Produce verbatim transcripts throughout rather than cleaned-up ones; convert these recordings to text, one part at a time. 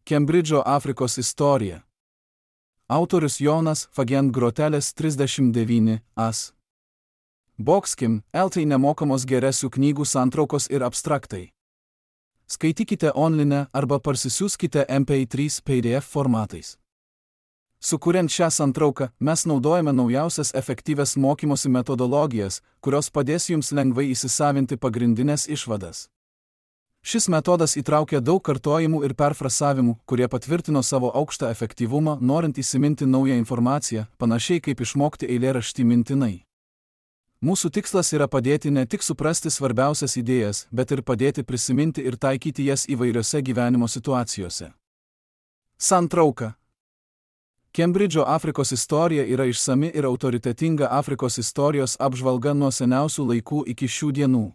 Kembridžo Afrikos istorija. Autorius Jonas Fagent Grotelis trisdešimt devyni as. Boxkim, eltai nemokamos geresių knygų santraukos ir abstraktai. Skaitykite online arba parsisiųskite em pe trys pe de ef formatais. Sukuriant šią santrauką, mes naudojame naujausias efektyvias mokymosi metodologijas, kurios padės jums lengvai įsisavinti pagrindinės išvadas. Šis metodas įtraukia daug kartojimų ir perfrasavimų, kurie patvirtino savo aukštą efektyvumą, norint įsiminti naują informaciją, panašiai kaip išmokti eilėraštį mintinai. Mūsų tikslas yra padėti ne tik suprasti svarbiausias idėjas, bet ir padėti prisiminti ir taikyti jas įvairiose gyvenimo situacijose. Santrauka. Kembridžo Afrikos istorija yra išsami ir autoritetinga Afrikos istorijos apžvalga nuo seniausių laikų iki šių dienų.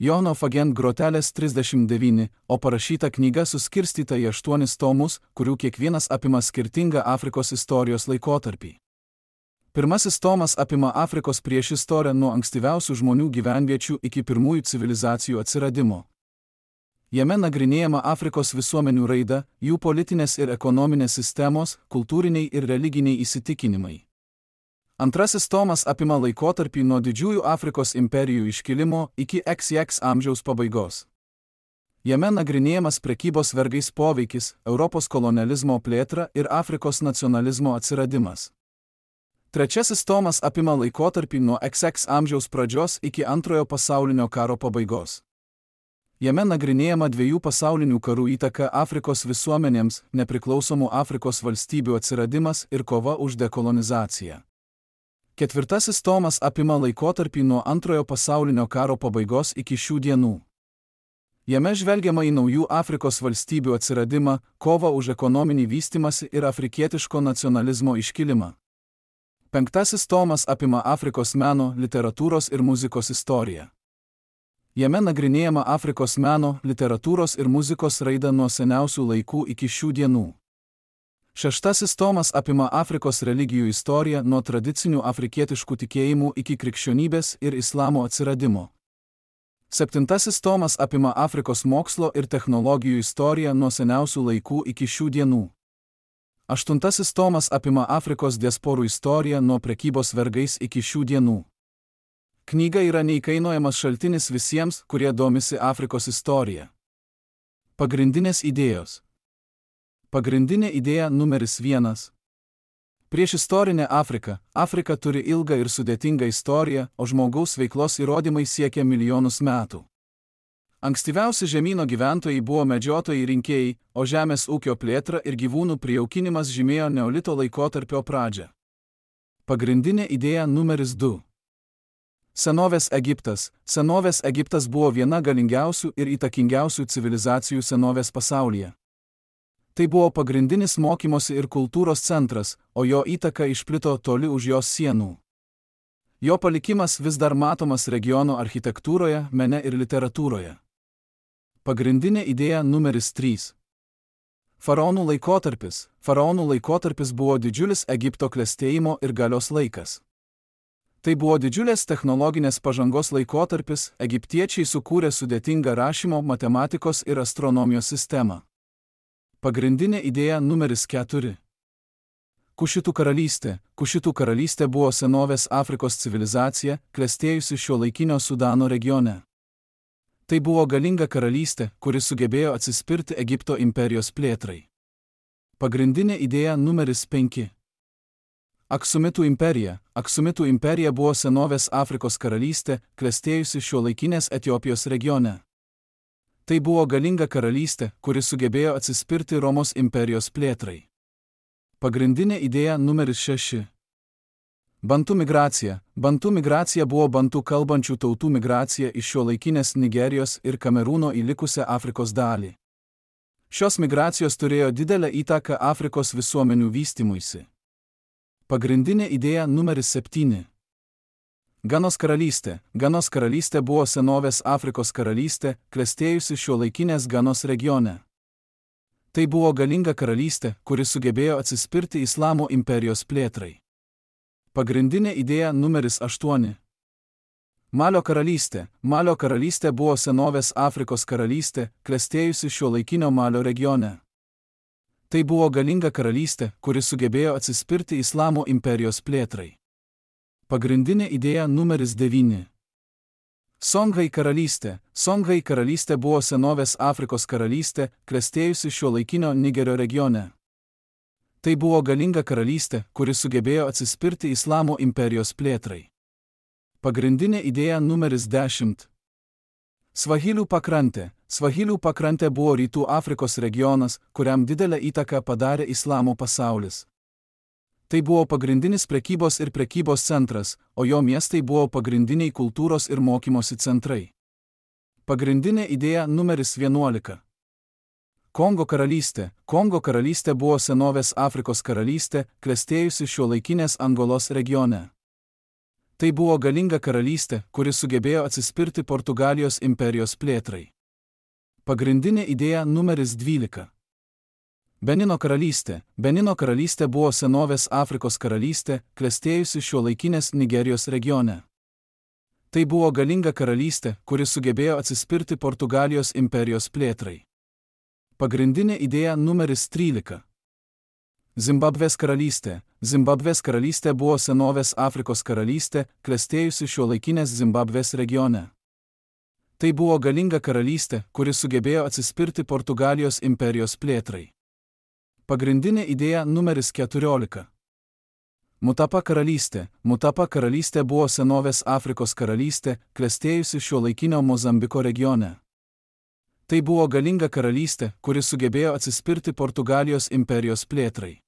Jono Fagent Grotelis trisdešimt devyni, o parašyta knyga suskirstyta į aštuonis tomus, kurių kiekvienas apima skirtingą Afrikos istorijos laikotarpį. Pirmasis tomas apima Afrikos priešistorę nuo ankstyviausių žmonių gyvenviečių iki pirmųjų civilizacijų atsiradimo. Jame nagrinėjama Afrikos visuomenių raida, jų politinės ir ekonominės sistemos, kultūriniai ir religiniai įsitikinimai. Antrasis tomas apima laikotarpį nuo didžiųjų Afrikos imperijų iškilimo iki iks iks amžiaus pabaigos. Jame nagrinėjamas prekybos vergais poveikis, Europos kolonializmo plėtra ir Afrikos nacionalizmo atsiradimas. Trečiasis tomas apima laikotarpį nuo iks iks amžiaus pradžios iki antrojo pasaulinio karo pabaigos. Jame nagrinėjama dviejų pasaulinių karų įtaka Afrikos visuomenėms, nepriklausomų Afrikos valstybių atsiradimas ir kova už dekolonizaciją. Ketvirtasis tomas apima laikotarpį nuo antrojo pasaulinio karo pabaigos iki šių dienų. Jame žvelgiama į naujų Afrikos valstybių atsiradimą, kovą už ekonominį vystymąsi ir afrikietiško nacionalizmo iškilimą. Penktasis tomas apima Afrikos meno, literatūros ir muzikos istoriją. Jame nagrinėjama Afrikos meno, literatūros ir muzikos raida nuo seniausių laikų iki šių dienų. Šeštasis tomas apima Afrikos religijų istoriją nuo tradicinių afrikietiškų tikėjimų iki krikščionybės ir islamo atsiradimo. Septintasis tomas apima Afrikos mokslo ir technologijų istoriją nuo seniausių laikų iki šių dienų. Aštuntasis tomas apima Afrikos diasporų istoriją nuo prekybos vergais iki šių dienų. Knyga yra neįkainojamas šaltinis visiems, kurie domisi Afrikos istorija. Pagrindinės idėjos. Pagrindinė idėja numeris vienas. Priešistorinė Afrika. Afrika turi ilgą ir sudėtingą istoriją, o žmogaus veiklos įrodymai siekia milijonus metų. Ankstyviausi žemyno gyventojai buvo medžiotojai rinkėjai, o žemės ūkio plėtra ir gyvūnų prijaukinimas žymėjo neolito laikotarpio pradžią. Pagrindinė idėja numeris du. Senovės Egiptas. Senovės Egiptas buvo viena galingiausių ir įtakingiausių civilizacijų senovės pasaulyje. Tai buvo pagrindinis mokymosi ir kultūros centras, o jo įtaka išplito toli už jos sienų. Jo palikimas vis dar matomas regiono architektūroje, mene ir literatūroje. Pagrindinė idėja numeris trys. Faraonų laikotarpis. Faraonų laikotarpis buvo didžiulis Egipto klestėjimo ir galios laikas. Tai buvo didžiulės technologinės pažangos laikotarpis, egiptiečiai sukūrė sudėtingą rašymo, matematikos ir astronomijos sistemą. Pagrindinė idėja numeris keturi. Kušitų karalystė. Kušitų karalystė buvo senovės Afrikos civilizacija, klestėjusi šiuolaikinio Sudano regione. Tai buvo galinga karalystė, kuri sugebėjo atsispirti Egipto imperijos plėtrai. Pagrindinė idėja numeris penki. Aksumitų imperija. Aksumitų imperija buvo senovės Afrikos karalystė, klestėjusi šiuolaikinės Etiopijos regione. Tai buvo galinga karalystė, kuri sugebėjo atsispirti Romos imperijos plėtrai. Pagrindinė idėja numeris šeši. Bantų migracija. Bantų migracija buvo bantų kalbančių tautų migracija iš šiuolaikinės Nigerijos ir Kamerūno į likusią Afrikos dalį. Šios migracijos turėjo didelę įtaką Afrikos visuomenių vystymuisi. Pagrindinė idėja numeris septyni. Ganos karalystė. Ganos karalystė buvo senovės Afrikos karalystė, klestėjusi šiuolaikinės Ganos regione. Tai buvo galinga karalystė, kuri sugebėjo atsispirti Islamo imperijos plėtrai. Pagrindinė idėja numeris aštuoni. Malio karalystė. Malio karalystė buvo senovės Afrikos karalystė, klestėjusi šiuolaikinio Malio regione. Tai buvo galinga karalystė, kuri sugebėjo atsispirti Islamo imperijos plėtrai. Pagrindinė idėja numeris devyni. Songhai karalystė. Songhai karalystė buvo senovės Afrikos karalystė, klestėjusi šiuolaikinio Nigerio regione. Tai buvo galinga karalystė, kuri sugebėjo atsispirti Islamo imperijos plėtrai. Pagrindinė idėja numeris dešimt. Svahilių pakrantė. Svahilių pakrantė buvo rytų Afrikos regionas, kuriam didelę įtaką padarė Islamo pasaulis. Tai buvo pagrindinis prekybos ir prekybos centras, o jo miestai buvo pagrindiniai kultūros ir mokymosi centrai. Pagrindinė idėja numeris vienuolika. Kongo karalystė. Kongo karalystė buvo senovės Afrikos karalystė, klestėjusi šiuolaikinės Angolos regione. Tai buvo galinga karalystė, kuri sugebėjo atsispirti Portugalijos imperijos plėtrai. Pagrindinė idėja numeris dvylika. Benino karalystė. Benino karalystė buvo senovės Afrikos karalystė, klestėjusi šiuolaikinės Nigerijos regione. Tai buvo galinga karalystė, kuri sugebėjo atsispirti Portugalijos imperijos plėtrai. Pagrindinė idėja numeris trylika. Zimbabvės karalystė. Zimbabvės karalystė buvo senovės Afrikos karalystė, klestėjusi šiuolaikinės Zimbabvės regione. Tai buvo galinga karalystė, kuri sugebėjo atsispirti Portugalijos imperijos plėtrai. Pagrindinė idėja numeris keturiolika. Mutapa karalystė. Mutapa karalystė buvo senovės Afrikos karalystė, klestėjusi šiuolaikinio Mozambiko regione. Tai buvo galinga karalystė, kuri sugebėjo atsispirti Portugalijos imperijos plėtrai.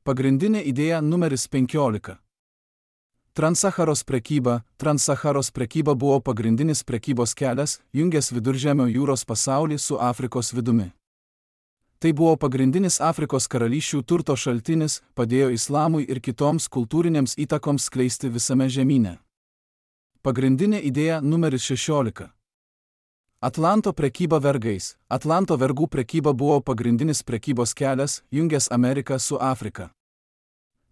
Pagrindinė idėja numeris penkiolika. Transsaharos prekyba. Transsaharos prekyba buvo pagrindinis prekybos kelias, jungęs Viduržemio jūros pasaulį su Afrikos vidumi. Tai buvo pagrindinis Afrikos karalysčių turto šaltinis, padėjo Islamui ir kitoms kultūrinėms įtakoms skleisti visame žemyne. Pagrindinė idėja numeris šešiolika. Atlanto prekyba vergais. Atlanto vergų prekyba buvo pagrindinis prekybos kelias, jungęs Ameriką su Afrika.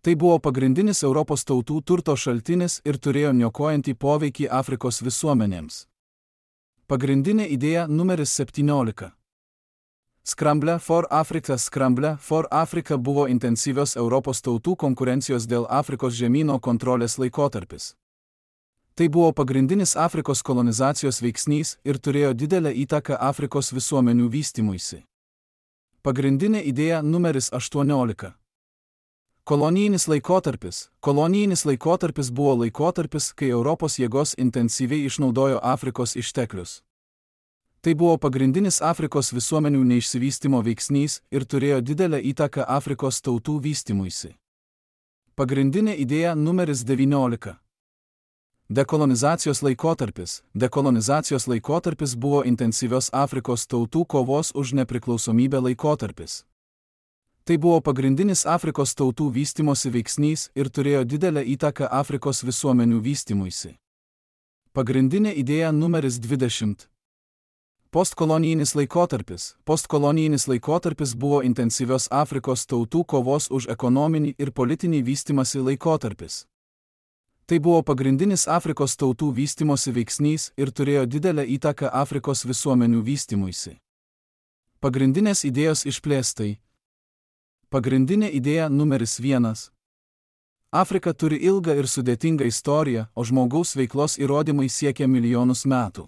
Tai buvo pagrindinis Europos tautų turto šaltinis ir turėjo niokojantį poveikį Afrikos visuomenėms. Pagrindinė idėja numeris septyniolika. Scramble for Africa. Scramble for Africa buvo intensyvios Europos tautų konkurencijos dėl Afrikos žemyno kontrolės laikotarpis. Tai buvo pagrindinis Afrikos kolonizacijos veiksnys ir turėjo didelę įtaką Afrikos visuomenių vystymuisi. Pagrindinė idėja numeris aštuoniolika. Kolonijinis laikotarpis. Kolonijinis laikotarpis buvo laikotarpis, kai Europos jėgos intensyviai išnaudojo Afrikos išteklius. Tai buvo pagrindinis Afrikos visuomenių neišsivystymo veiksnys ir turėjo didelę įtaką Afrikos tautų vystymuisi. Pagrindinė idėja numeris devyniolika. Dekolonizacijos laikotarpis. Dekolonizacijos laikotarpis buvo intensyvios Afrikos tautų kovos už nepriklausomybę laikotarpis. Tai buvo pagrindinis Afrikos tautų vystymosi veiksnys ir turėjo didelę įtaką Afrikos visuomenių vystymuisi. Pagrindinė idėja numeris dvidešimt. Postkolonijinis laikotarpis. Postkolonijinis laikotarpis buvo intensyvios Afrikos tautų kovos už ekonominį ir politinį vystymąsi laikotarpis. Tai buvo pagrindinis Afrikos tautų vystymosi veiksnys ir turėjo didelę įtaką Afrikos visuomenių vystymuisi. Pagrindinės idėjos išplėstai. Pagrindinė idėja numeris vienas. Afrika turi ilgą ir sudėtingą istoriją, o žmogaus veiklos įrodymai siekia milijonus metų.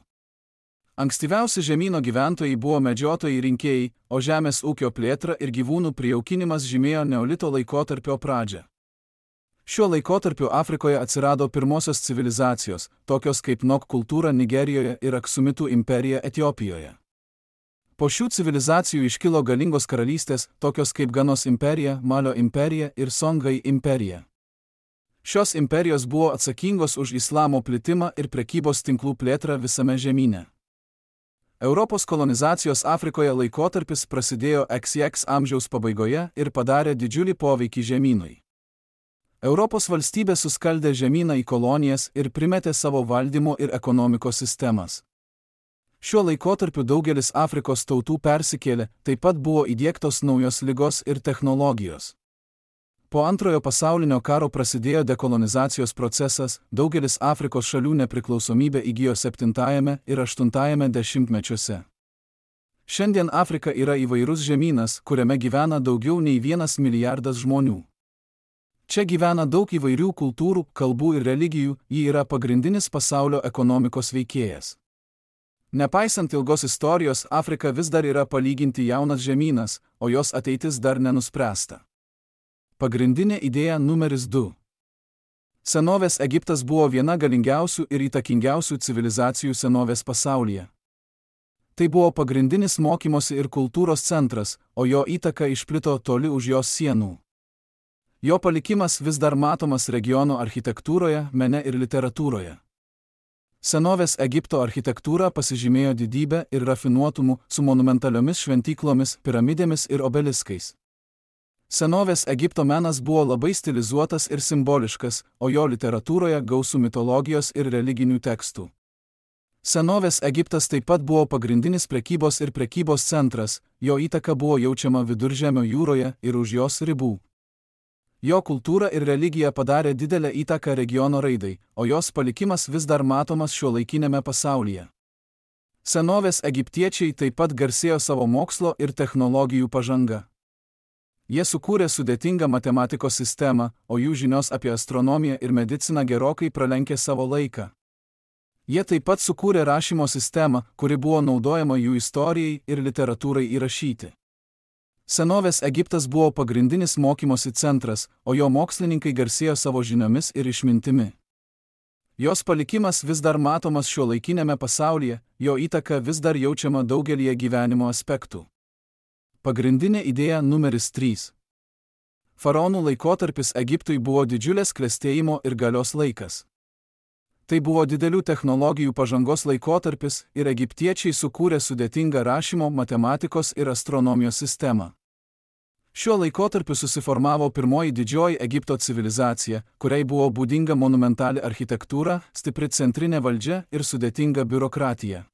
Ankstyviausi žemyno gyventojai buvo medžiotojai rinkėjai, o žemės ūkio plėtra ir gyvūnų prijaukinimas žymėjo neolito laikotarpio pradžią. Šiuo laikotarpiu Afrikoje atsirado pirmosios civilizacijos, tokios kaip Nok kultūra Nigerijoje ir Aksumitų imperija Etiopijoje. Po šių civilizacijų iškilo galingos karalystės, tokios kaip Ganos imperija, Malio imperija ir Songhai imperija. Šios imperijos buvo atsakingos už islamo plitimą ir prekybos tinklų plėtrą visame žemyne. Europos kolonizacijos Afrikoje laikotarpis prasidėjo X X amžiaus pabaigoje ir padarė didžiulį poveikį žemynui. Europos valstybė suskaldė žemyną į kolonijas ir primetė savo valdymo ir ekonomikos sistemas. Šiuo laikotarpiu daugelis Afrikos tautų persikėlė, taip pat buvo įdiegtos naujos ligos ir technologijos. Po antrojo pasaulinio karo prasidėjo dekolonizacijos procesas, daugelis Afrikos šalių nepriklausomybę įgijo septintajame ir aštuntajame dešimtmečiuose. Šiandien Afrika yra įvairus žemynas, kuriame gyvena daugiau nei vienas milijardas žmonių. Čia gyvena daug įvairių kultūrų, kalbų ir religijų, ji yra pagrindinis pasaulio ekonomikos veikėjas. Nepaisant ilgos istorijos, Afrika vis dar yra palyginti jaunas žemynas, o jos ateitis dar nenuspręsta. Pagrindinė idėja numeris du. Senovės Egiptas buvo viena galingiausių ir įtakingiausių civilizacijų senovės pasaulyje. Tai buvo pagrindinis mokymosi ir kultūros centras, o jo įtaka išplito toli už jos sienų. Jo palikimas vis dar matomas regiono architektūroje, mene ir literatūroje. Senovės Egipto architektūra pasižymėjo didybę ir rafinuotumu su monumentaliomis šventyklomis, piramidėmis ir obeliskais. Senovės Egipto menas buvo labai stilizuotas ir simboliškas, o jo literatūroje gausų mitologijos ir religinių tekstų. Senovės Egiptas taip pat buvo pagrindinis prekybos ir prekybos centras, jo įtaka buvo jaučiama Viduržemio jūroje ir už jos ribų. Jo kultūra ir religija padarė didelę įtaką regiono raidai, o jos palikimas vis dar matomas šiuolaikinėme pasaulyje. Senovės egiptiečiai taip pat garsėjo savo mokslo ir technologijų pažanga. Jie sukūrė sudėtingą matematikos sistemą, o jų žinios apie astronomiją ir mediciną gerokai pralenkė savo laiką. Jie taip pat sukūrė rašymo sistemą, kuri buvo naudojama jų istorijai ir literatūrai įrašyti. Senovės Egiptas buvo pagrindinis mokymosi centras, o jo mokslininkai garsėjo savo žiniomis ir išmintimi. Jos palikimas vis dar matomas šiuolaikinėme pasaulyje, jo įtaka vis dar jaučiama daugelyje gyvenimo aspektų. Pagrindinė idėja numeris trys. Faraonų laikotarpis Egiptui buvo didžiulės klestėjimo ir galios laikas. Tai buvo didelių technologijų pažangos laikotarpis ir egiptiečiai sukūrė sudėtingą rašymo, matematikos ir astronomijos sistemą. Šiuo laikotarpiu susiformavo pirmoji didžioji Egipto civilizacija, kuriai buvo būdinga monumentali architektūra, stipri centrinė valdžia ir sudėtinga biurokratija.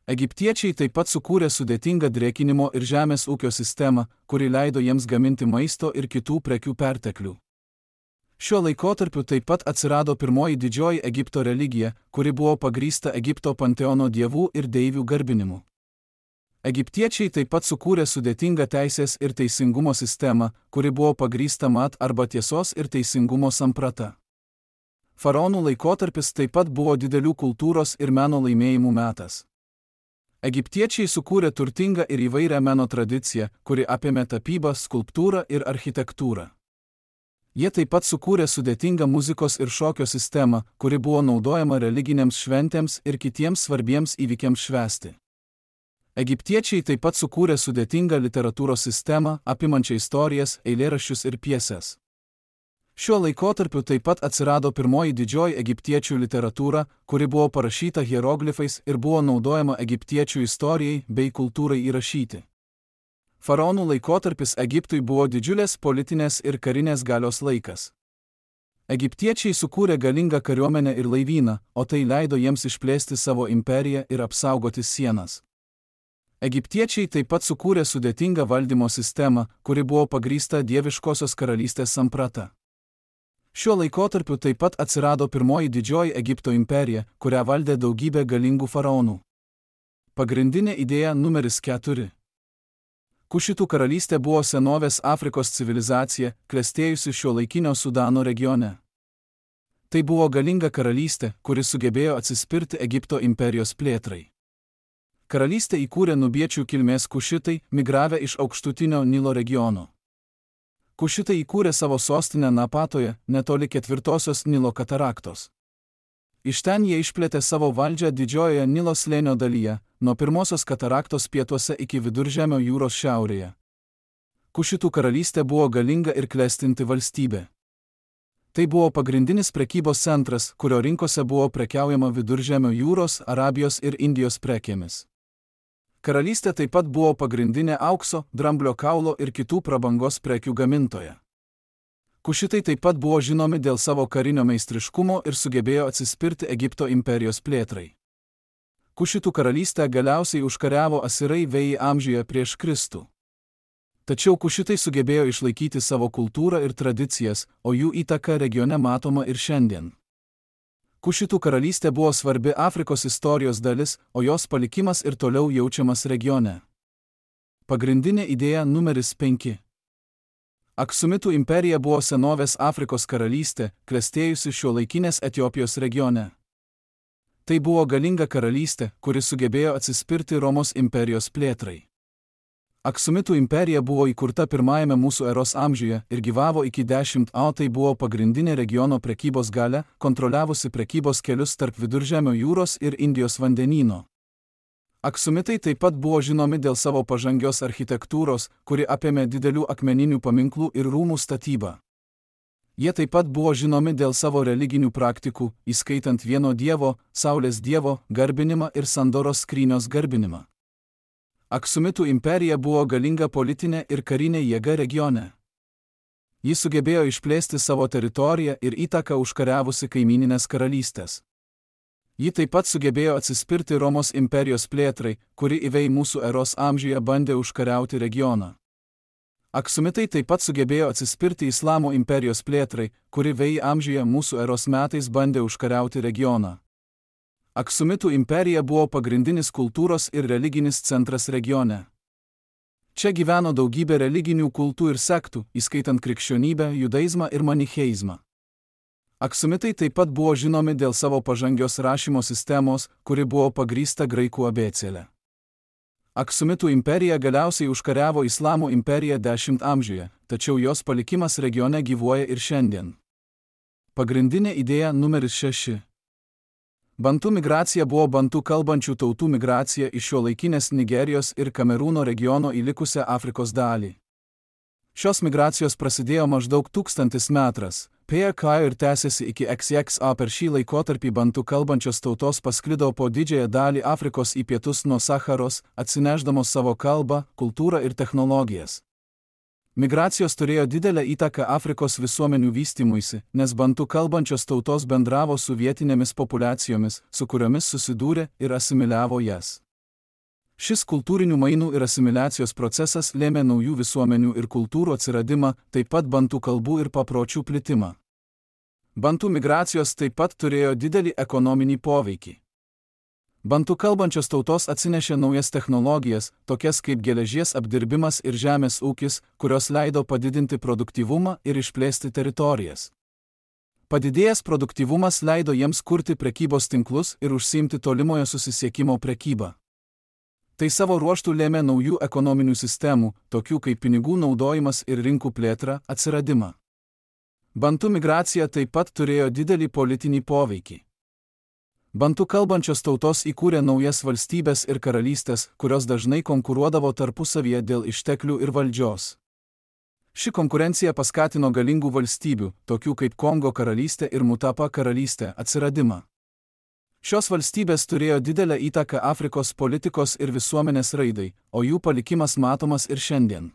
Egiptiečiai taip pat sukūrė sudėtingą drėkinimo ir žemės ūkio sistemą, kuri leido jiems gaminti maisto ir kitų prekių perteklių. Šiuo laikotarpiu taip pat atsirado pirmoji didžioji Egipto religija, kuri buvo pagrįsta Egipto panteono dievų ir deivių garbinimu. Egiptiečiai taip pat sukūrė sudėtingą teisės ir teisingumo sistemą, kuri buvo pagrįsta mat arba tiesos ir teisingumo samprata. Faraonų laikotarpis taip pat buvo didelių kultūros ir meno laimėjimų metas. Egiptiečiai sukūrė turtingą ir įvairią meno tradiciją, kuri apėmė tapybą, skulptūrą ir architektūrą. Jie taip pat sukūrė sudėtingą muzikos ir šokio sistemą, kuri buvo naudojama religinėms šventėms ir kitiems svarbiems įvykiams švęsti. Egiptiečiai taip pat sukūrė sudėtingą literatūros sistemą, apimančią istorijas, eilėraščius ir pjeses. Šiuo laikotarpiu taip pat atsirado pirmoji didžioji egiptiečių literatūra, kuri buvo parašyta hieroglifais ir buvo naudojama egiptiečių istorijai bei kultūrai įrašyti. Faraonų laikotarpis Egiptui buvo didžiulės politinės ir karinės galios laikas. Egiptiečiai sukūrė galingą kariuomenę ir laivyną, o tai leido jiems išplėsti savo imperiją ir apsaugoti sienas. Egiptiečiai taip pat sukūrė sudėtingą valdymo sistemą, kuri buvo pagrįsta dieviškosios karalystės samprata. Šiuo laikotarpiu taip pat atsirado pirmoji didžioji Egipto imperija, kurią valdė daugybė galingų faraonų. Pagrindinė idėja numeris keturi. Kušitų karalystė buvo senovės Afrikos civilizacija, klestėjusi šiuolaikinio Sudano regione. Tai buvo galinga karalystė, kuri sugebėjo atsispirti Egipto imperijos plėtrai. Karalystę įkūrė nubiečių kilmės kušitai, migravę iš aukštutinio Nilo regiono. Kušitai įkūrė savo sostinę Napatoje, netoli ketvirtosios Nilo kataraktos. Iš ten jie išplėtė savo valdžią didžiojoje Nilo slėnio dalyje, nuo pirmosios kataraktos pietuose iki Viduržemio jūros šiaurėje. Kušitų karalystė buvo galinga ir klestinti valstybė. Tai buvo pagrindinis prekybos centras, kurio rinkose buvo prekiaujama Viduržemio jūros, Arabijos ir Indijos prekėmis. Karalystė taip pat buvo pagrindinė aukso, dramblio kaulo ir kitų prabangos prekių gamintoja. Kušitai taip pat buvo žinomi dėl savo karinio meistriškumo ir sugebėjo atsispirti Egipto imperijos plėtrai. Kušitų karalystę galiausiai užkariavo asirai vėjai amžiuje prieš Kristų. Tačiau kušitai sugebėjo išlaikyti savo kultūrą ir tradicijas, o jų įtaka regione matoma ir šiandien. Kušitų karalystė buvo svarbi Afrikos istorijos dalis, o jos palikimas ir toliau jaučiamas regione. Pagrindinė idėja numeris penki. Aksumitų imperija buvo senovės Afrikos karalystė, klestėjusi šiuolaikinės Etiopijos regione. Tai buvo galinga karalystė, kuri sugebėjo atsispirti Romos imperijos plėtrai. Aksumitų imperija buvo įkurta pirmajame mūsų eros amžiuje ir gyvavo iki dešimt A. Tai buvo pagrindinė regiono prekybos galia, kontroliavusi prekybos kelius tarp Viduržemio jūros ir Indijos vandenyno. Aksumitai taip pat buvo žinomi dėl savo pažangios architektūros, kuri apėmė didelių akmeninių paminklų ir rūmų statybą. Jie taip pat buvo žinomi dėl savo religinių praktikų, įskaitant vieno dievo, Saulės dievo, garbinimą ir Sandoros skrynios garbinimą. Aksumitų imperija buvo galinga politinė ir karinė jėga regione. Ji sugebėjo išplėsti savo teritoriją ir įtaką užkariavusi kaimininės karalystės. Ji taip pat sugebėjo atsispirti Romos imperijos plėtrai, kuri įvei mūsų eros amžiuje bandė užkariauti regioną. Aksumitai taip pat sugebėjo atsispirti Islamo imperijos plėtrai, kuri vei amžiuje mūsų eros metais bandė užkariauti regioną. Aksumitų imperija buvo pagrindinis kultūros ir religinis centras regione. Čia gyveno daugybė religinių kultų ir sektų, įskaitant krikščionybę, judaizmą ir manicheizmą. Aksumitai taip pat buvo žinomi dėl savo pažangios rašymo sistemos, kuri buvo pagrįsta graikų abėcėle. Aksumitų imperija galiausiai užkariavo Islamo imperiją dešimtame amžiuje, tačiau jos palikimas regione gyvuoja ir šiandien. Pagrindinė idėja numeris šeši. Bantų migracija buvo bantų kalbančių tautų migracija iš šiuolaikinės Nigerijos ir Kamerūno regiono į likusią Afrikos dalį. Šios migracijos prasidėjo maždaug tūkstantis metras, P K ir tęsėsi iki X X A. Per šį laikotarpį bantų kalbančios tautos pasklido po didžiąją dalį Afrikos į pietus nuo Sacharos, atsineždamos savo kalbą, kultūrą ir technologijas. Migracijos turėjo didelę įtaką Afrikos visuomenių vystymuisi, nes bantų kalbančios tautos bendravo su vietinėmis populiacijomis, su kuriomis susidūrė ir asimiliavo jas. Šis kultūrinių mainų ir asimiliacijos procesas lėmė naujų visuomenių ir kultūrų atsiradimą, taip pat bantų kalbų ir papročių plitimą. Bantų migracijos taip pat turėjo didelį ekonominį poveikį. Bantų kalbančios tautos atsinešė naujas technologijas, tokias kaip geležies apdirbimas ir žemės ūkis, kurios leido padidinti produktyvumą ir išplėsti teritorijas. Padidėjęs produktyvumas leido jiems kurti prekybos tinklus ir užsiimti tolimojo susisiekimo prekybą. Tai savo ruožtų lėmė naujų ekonominių sistemų, tokių kaip pinigų naudojimas ir rinkų plėtra, atsiradimą. Bantų migracija taip pat turėjo didelį politinį poveikį. Bantų kalbančios tautos įkūrė naujas valstybės ir karalystės, kurios dažnai konkuruodavo tarpusavyje dėl išteklių ir valdžios. Ši konkurencija paskatino galingų valstybių, tokių kaip Kongo karalystė ir Mutapa karalystė, atsiradimą. Šios valstybės turėjo didelę įtaką Afrikos politikos ir visuomenės raidai, o jų palikimas matomas ir šiandien.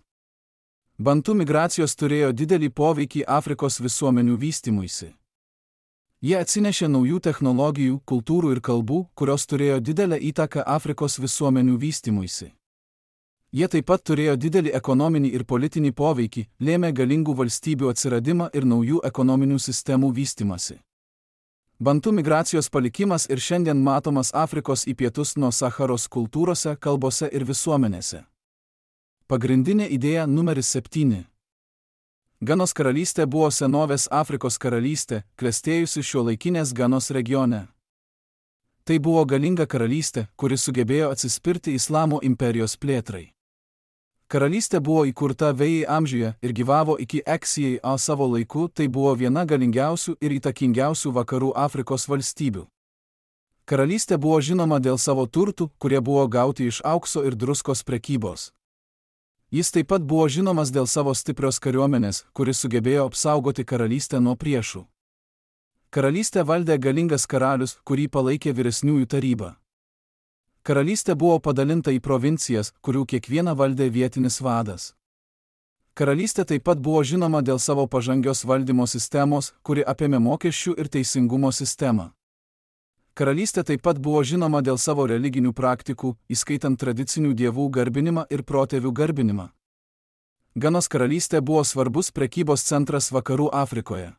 Bantų migracijos turėjo didelį poveikį Afrikos visuomenių vystymuisi. Jie atsinešė naujų technologijų, kultūrų ir kalbų, kurios turėjo didelę įtaką Afrikos visuomenių vystymuisi. Jie taip pat turėjo didelį ekonominį ir politinį poveikį, lėmė galingų valstybių atsiradimą ir naujų ekonominių sistemų vystymasi. Bantų migracijos palikimas ir šiandien matomas Afrikos į pietus nuo Sacharos kultūrose, kalbose ir visuomenėse. Pagrindinė idėja numeris septyni. Ganos karalystė buvo senovės Afrikos karalystė, klestėjusi šiuolaikinės Ganos regione. Tai buvo galinga karalystė, kuri sugebėjo atsispirti Islamo imperijos plėtrai. Karalystė buvo įkurta vėjai amžiuje ir gyvavo iki X Y A savo laiku, tai buvo viena galingiausių ir įtakingiausių vakarų Afrikos valstybių. Karalystė buvo žinoma dėl savo turtų, kurie buvo gauti iš aukso ir druskos prekybos. Jis taip pat buvo žinomas dėl savo stiprios kariuomenės, kuris sugebėjo apsaugoti karalystę nuo priešų. Karalystę valdė galingas karalius, kurį palaikė vyresniųjų taryba. Karalystė buvo padalinta į provincijas, kurių kiekvieną valdė vietinis vadas. Karalystė taip pat buvo žinoma dėl savo pažangios valdymo sistemos, kuri apėmė mokesčių ir teisingumo sistemą. Karalystė taip pat buvo žinoma dėl savo religinių praktikų, įskaitant tradicinių dievų garbinimą ir protėvių garbinimą. Ganos karalystė buvo svarbus prekybos centras vakarų Afrikoje.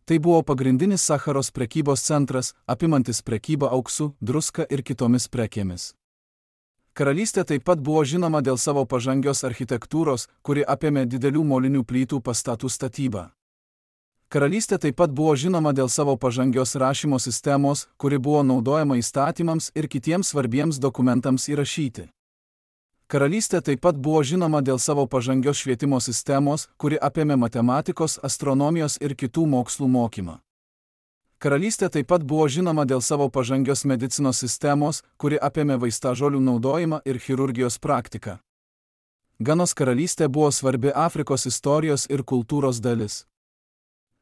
Tai buvo pagrindinis Sacharos prekybos centras, apimantis prekybą auksu, druska ir kitomis prekėmis. Karalystė taip pat buvo žinoma dėl savo pažangios architektūros, kuri apėmė didelių molinių plytų pastatų statybą. Karalystė taip pat buvo žinoma dėl savo pažangios rašymo sistemos, kuri buvo naudojama įstatymams ir kitiems svarbiems dokumentams įrašyti. Karalystė taip pat buvo žinoma dėl savo pažangios švietimo sistemos, kuri apėmė matematikos, astronomijos ir kitų mokslų mokymą. Karalystė taip pat buvo žinoma dėl savo pažangios medicinos sistemos, kuri apėmė vaistažolių naudojimą ir chirurgijos praktiką. Ganos karalystė buvo svarbi Afrikos istorijos ir kultūros dalis.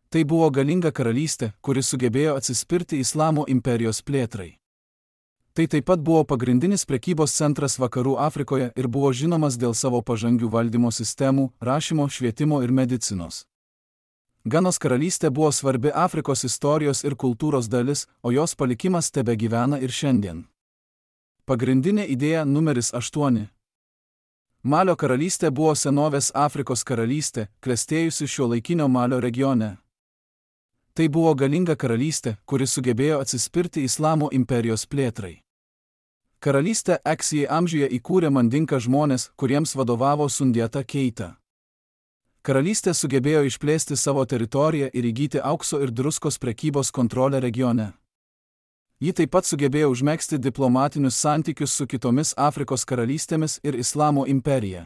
Tai buvo galinga karalystė, kuri sugebėjo atsispirti Islamo imperijos plėtrai. Tai taip pat buvo pagrindinis prekybos centras Vakarų Afrikoje ir buvo žinomas dėl savo pažangių valdymo sistemų, rašymo, švietimo ir medicinos. Ganos karalystė buvo svarbi Afrikos istorijos ir kultūros dalis, o jos palikimas tebegyvena ir šiandien. Pagrindinė idėja numeris aštuoni. Malio karalystė buvo senovės Afrikos karalystė, klestėjusi šiuolaikinio Malio regione. Tai buvo galinga karalystė, kuri sugebėjo atsispirti Islamo imperijos plėtrai. Karalystę Eksijai amžiuje įkūrė Mandinka žmonės, kuriems vadovavo Sundiata Keita. Karalystė sugebėjo išplėsti savo teritoriją ir įgyti aukso ir druskos prekybos kontrolę regione. Ji taip pat sugebėjo užmegzti diplomatinius santykius su kitomis Afrikos karalystėmis ir Islamo imperija.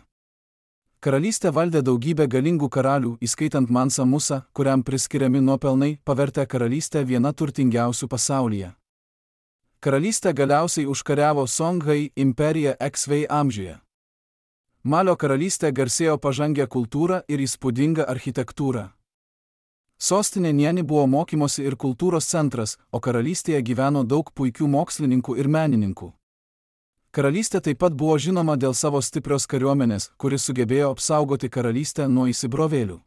Karalystė valdė daugybę galingų karalių, įskaitant Mansa Musa, kuriam priskiriami nuopelnai, pavertė karalystę viena turtingiausių pasaulyje. Karalystė galiausiai užkariavo Songhai imperiją Eksvei amžiuje. Malio karalystė garsėjo pažangę kultūrą ir įspūdingą architektūrą. Sostinė Nieni buvo mokymosi ir kultūros centras, o karalystėje gyveno daug puikių mokslininkų ir menininkų. Karalystė taip pat buvo žinoma dėl savo stiprios kariuomenės, kuri sugebėjo apsaugoti karalystę nuo įsibrovėlių.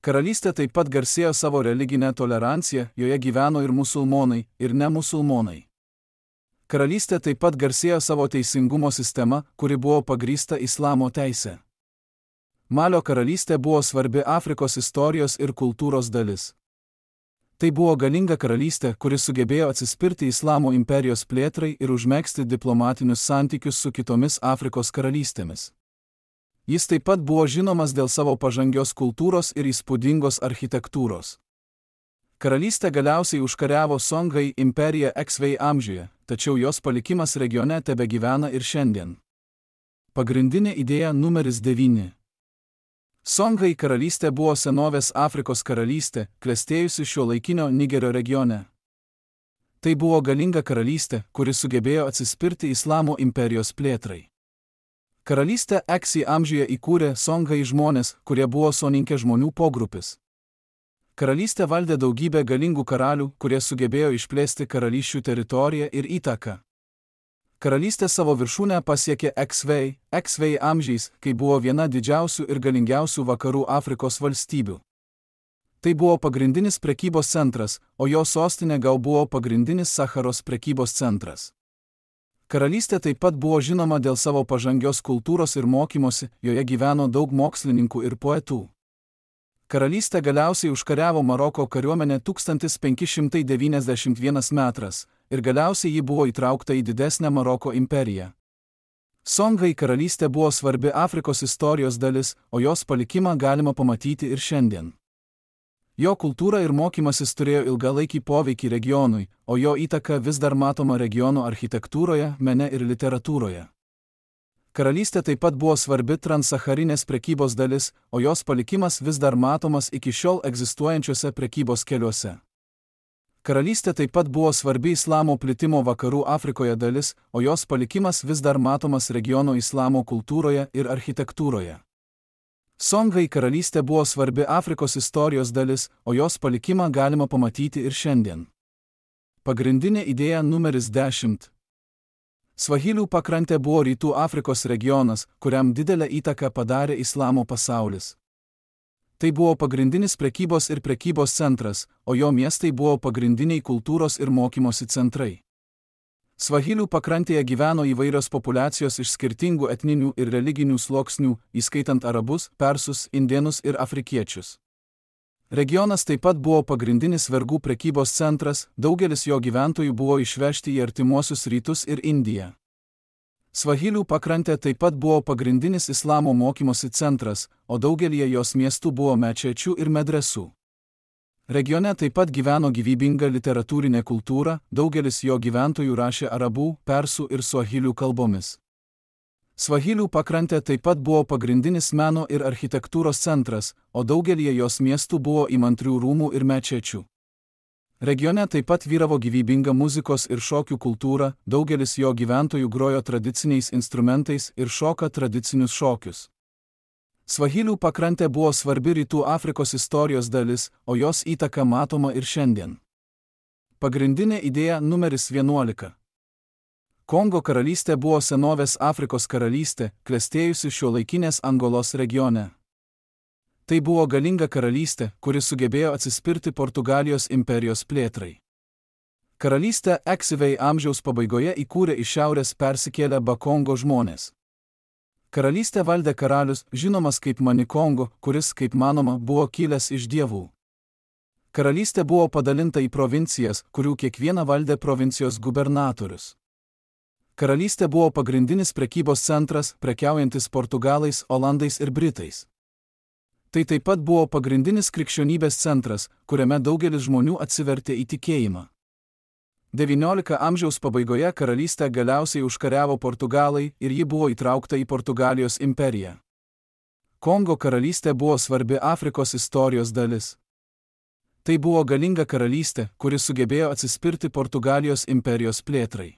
Karalystė taip pat garsėjo savo religinę toleranciją, joje gyveno ir musulmonai, ir ne musulmonai. Karalystė taip pat garsėjo savo teisingumo sistema, kuri buvo pagrįsta Islamo teise. Malio karalystė buvo svarbi Afrikos istorijos ir kultūros dalis. Tai buvo galinga karalystė, kuri sugebėjo atsispirti Islamo imperijos plėtrai ir užmegzti diplomatinius santykius su kitomis Afrikos karalystėmis. Jis taip pat buvo žinomas dėl savo pažangios kultūros ir įspūdingos architektūros. Karalystė galiausiai užkariavo Songhai imperiją Eksvei amžiuje, tačiau jos palikimas regione tebegyvena ir šiandien. Pagrindinė idėja numeris devyni. Songhai karalystė buvo senovės Afrikos karalystė, klestėjusi šiuolaikinio Nigerio regione. Tai buvo galinga karalystė, kuri sugebėjo atsispirti Islamo imperijos plėtrai. Karalystę Eksijai amžiuje įkūrė Songhai žmonės, kurie buvo soninkė žmonių pogrupis. Karalystė valdė daugybę galingų karalių, kurie sugebėjo išplėsti karalysčių teritoriją ir įtaką. Karalystė savo viršūnę pasiekė Eksvei, Eksvei amžiais, kai buvo viena didžiausių ir galingiausių vakarų Afrikos valstybių. Tai buvo pagrindinis prekybos centras, o jo sostinė gal buvo pagrindinis Sacharos prekybos centras. Karalystė taip pat buvo žinoma dėl savo pažangios kultūros ir mokymosi, joje gyveno daug mokslininkų ir poetų. Karalystė galiausiai užkariavo Maroko kariuomenę tūkstantis penki šimtai devyniasdešimt vienas metras ir galiausiai ji buvo įtraukta į didesnę Maroko imperiją. Songhai karalystė buvo svarbi Afrikos istorijos dalis, o jos palikimą galima pamatyti ir šiandien. Jo kultūra ir mokymasis turėjo ilgalaikį poveikį regionui, o jo įtaka vis dar matoma regiono architektūroje, mene ir literatūroje. Karalystė taip pat buvo svarbi transsacharinės prekybos dalis, o jos palikimas vis dar matomas iki šiol egzistuojančiuose prekybos keliuose. Karalystė taip pat buvo svarbi Islamo plitimo vakarų Afrikoje dalis, o jos palikimas vis dar matomas regiono Islamo kultūroje ir architektūroje. Songhai karalystė buvo svarbi Afrikos istorijos dalis, o jos palikimą galima pamatyti ir šiandien. Pagrindinė idėja numeris dešimt. Svahilių pakrantė buvo rytų Afrikos regionas, kuriam didelę įtaką padarė Islamo pasaulis. Tai buvo pagrindinis prekybos ir prekybos centras, o jo miestai buvo pagrindiniai kultūros ir mokymosi centrai. Svahilių pakrantėje gyveno įvairios populiacijos iš skirtingų etninių ir religinių sluoksnių, įskaitant arabus, persus, indėnus ir afrikiečius. Regionas taip pat buvo pagrindinis vergų prekybos centras, daugelis jo gyventojų buvo išvežti į artimuosius rytus ir Indiją. Svahilių pakrantė taip pat buvo pagrindinis islamo mokymosi centras, o daugelie jos miestų buvo mečečių ir medresų. Regione taip pat gyveno gyvybinga literatūrinė kultūra, daugelis jo gyventojų rašė arabų, persų ir svahilių kalbomis. Svahilių pakrantė taip pat buvo pagrindinis meno ir architektūros centras, o daugelie jos miestų buvo įmantrių rūmų ir mečečių. Regione taip pat vyravo gyvybinga muzikos ir šokių kultūra, daugelis jo gyventojų grojo tradiciniais instrumentais ir šoka tradicinius šokius. Svahilių pakrantė buvo svarbi Rytų Afrikos istorijos dalis, o jos įtaka matoma ir šiandien. Pagrindinė idėja numeris vienuolika. Kongo karalystė buvo senovės Afrikos karalystė, klestėjusi šiuolaikinės Angolos regione. Tai buvo galinga karalystė, kuri sugebėjo atsispirti Portugalijos imperijos plėtrai. Karalystę Eksivei amžiaus pabaigoje įkūrė iš šiaurės persikėlę Bakongo žmonės. Karalystę valdė karalius, žinomas kaip Manikongo, kuris, kaip manoma, buvo kilęs iš dievų. Karalystė buvo padalinta į provincijas, kurių kiekvieną valdė provincijos gubernatorius. Karalystė buvo pagrindinis prekybos centras, prekiaujantis portugalais, olandais ir britais. Tai taip pat buvo pagrindinis krikščionybės centras, kuriame daugelis žmonių atsivertė į tikėjimą. devyniolikto amžiaus pabaigoje karalystę galiausiai užkariavo portugalai ir ji buvo įtraukta į Portugalijos imperiją. Kongo karalystė buvo svarbi Afrikos istorijos dalis. Tai buvo galinga karalystė, kuri sugebėjo atsispirti Portugalijos imperijos plėtrai.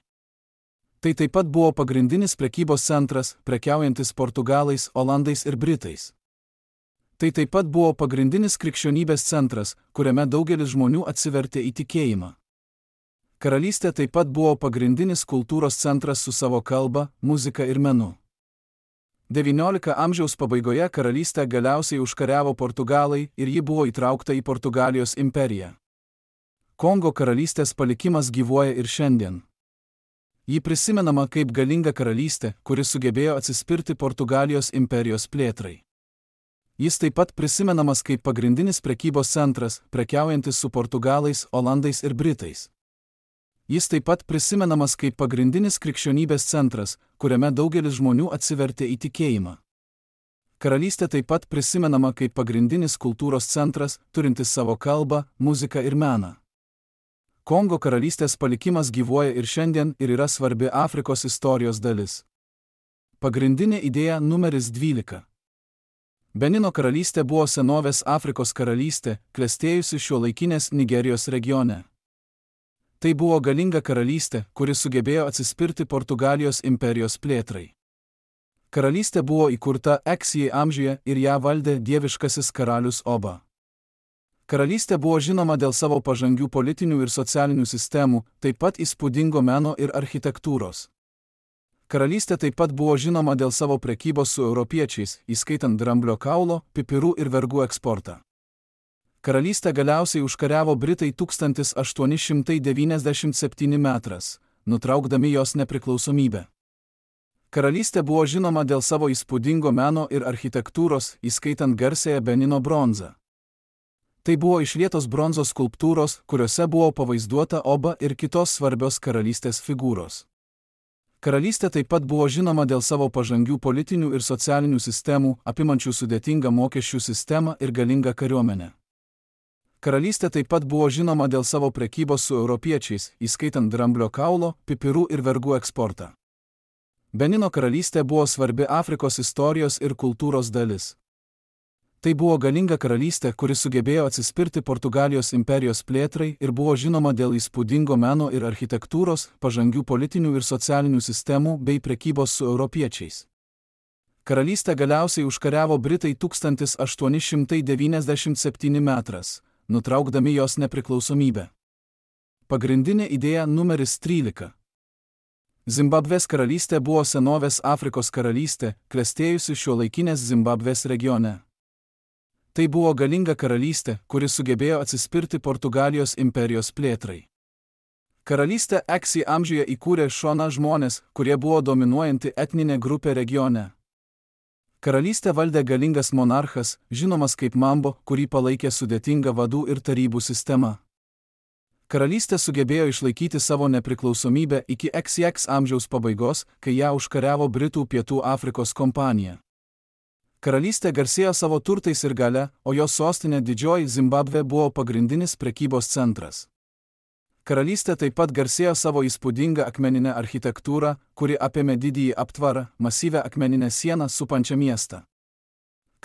Tai taip pat buvo pagrindinis prekybos centras, prekiaujantis portugalais, olandais ir britais. Tai taip pat buvo pagrindinis krikščionybės centras, kuriame daugelis žmonių atsivertė į tikėjimą. Karalystė taip pat buvo pagrindinis kultūros centras su savo kalba, muzika ir menu. devyniolikto amžiaus pabaigoje karalystę galiausiai užkariavo portugalai ir ji buvo įtraukta į Portugalijos imperiją. Kongo karalystės palikimas gyvuoja ir šiandien. Ji prisimenama kaip galinga karalystė, kuri sugebėjo atsispirti Portugalijos imperijos plėtrai. Jis taip pat prisimenamas kaip pagrindinis prekybos centras, prekiaujantis su portugalais, olandais ir britais. Jis taip pat prisimenamas kaip pagrindinis krikščionybės centras, kuriame daugelis žmonių atsivertė į tikėjimą. Karalystė taip pat prisimenama kaip pagrindinis kultūros centras, turintis savo kalbą, muziką ir meną. Kongo karalystės palikimas gyvuoja ir šiandien ir yra svarbi Afrikos istorijos dalis. Pagrindinė idėja numeris dvylika. Benino karalystė buvo senovės Afrikos karalystė, klestėjusi šiuolaikinės Nigerijos regione. Tai buvo galinga karalystė, kuri sugebėjo atsispirti Portugalijos imperijos plėtrai. Karalystė buvo įkurta Eksijai amžiuje ir ją valdė dieviškasis karalius Oba. Karalystė buvo žinoma dėl savo pažangių politinių ir socialinių sistemų, taip pat įspūdingo meno ir architektūros. Karalystė taip pat buvo žinoma dėl savo prekybos su europiečiais, įskaitant dramblio kaulo, pipirų ir vergų eksportą. Karalystę galiausiai užkariavo Britai tūkstantis aštuoni šimtai devyniasdešimt septyni metrais, nutraukdami jos nepriklausomybę. Karalystė buvo žinoma dėl savo įspūdingo meno ir architektūros, įskaitant garsiąją Benino bronzą. Tai buvo išlietos bronzos skulptūros, kuriuose buvo pavaizduota Oba ir kitos svarbios karalystės figūros. Karalystė taip pat buvo žinoma dėl savo pažangių politinių ir socialinių sistemų, apimančių sudėtingą mokesčių sistemą ir galingą kariuomenę. Karalystė taip pat buvo žinoma dėl savo prekybos su europiečiais, įskaitant dramblio kaulo, pipirų ir vergų eksportą. Benino karalystė buvo svarbi Afrikos istorijos ir kultūros dalis. Tai buvo galinga karalystė, kuri sugebėjo atsispirti Portugalijos imperijos plėtrai ir buvo žinoma dėl įspūdingo meno ir architektūros, pažangių politinių ir socialinių sistemų bei prekybos su europiečiais. Karalystę galiausiai užkariavo Britai tūkstantis aštuoni šimtai devyniasdešimt septyni metrais, nutraukdami jos nepriklausomybę. Pagrindinė idėja numeris trylika. Zimbabvės karalystė buvo senovės Afrikos karalystė, klestėjusi šiuolaikinės Zimbabvės regione. Tai buvo galinga karalystė, kuri sugebėjo atsispirti Portugalijos imperijos plėtrai. Karalystę Eksijai amžiuje įkūrė Šona žmonės, kurie buvo dominuojanti etninė grupė regione. Karalystę valdė galingas monarchas, žinomas kaip Mambo, kurį palaikė sudėtinga vadų ir tarybų sistema. Karalystė sugebėjo išlaikyti savo nepriklausomybę iki X X amžiaus pabaigos, kai ją užkariavo Britų Pietų Afrikos kompanija. Karalystė garsėjo savo turtais ir gale, o jos sostinė Didžioji Zimbabvė buvo pagrindinis prekybos centras. Karalystė taip pat garsėjo savo įspūdingą akmeninę architektūrą, kuri apėmė didįjį aptvarą, masyvią akmeninę sieną supančią miestą.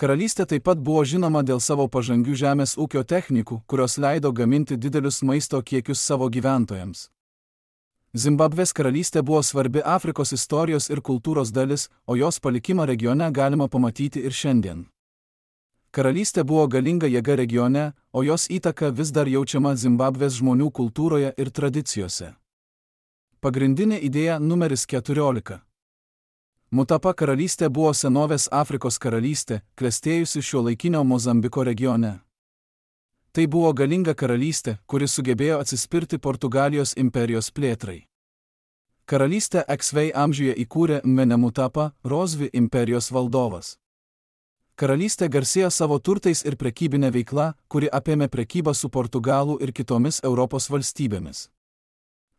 Karalystė taip pat buvo žinoma dėl savo pažangių žemės ūkio technikų, kurios leido gaminti didelius maisto kiekius savo gyventojams. Zimbabvės karalystė buvo svarbi Afrikos istorijos ir kultūros dalis, o jos palikimą regione galima pamatyti ir šiandien. Karalystė buvo galinga jėga regione, o jos įtaka vis dar jaučiama Zimbabvės žmonių kultūroje ir tradicijose. Pagrindinė idėja numeris keturiolika. Mutapa karalystė buvo senovės Afrikos karalystė, klestėjusi šiuolaikinio Mozambiko regione. Tai buvo galinga karalystė, kuri sugebėjo atsispirti Portugalijos imperijos plėtrai. Karalystę X V amžiuje įkūrė Mutapa, Rozvi imperijos valdovas. Karalystė garsėjo savo turtais ir prekybinė veikla, kuri apėmė prekybą su Portugalų ir kitomis Europos valstybėmis.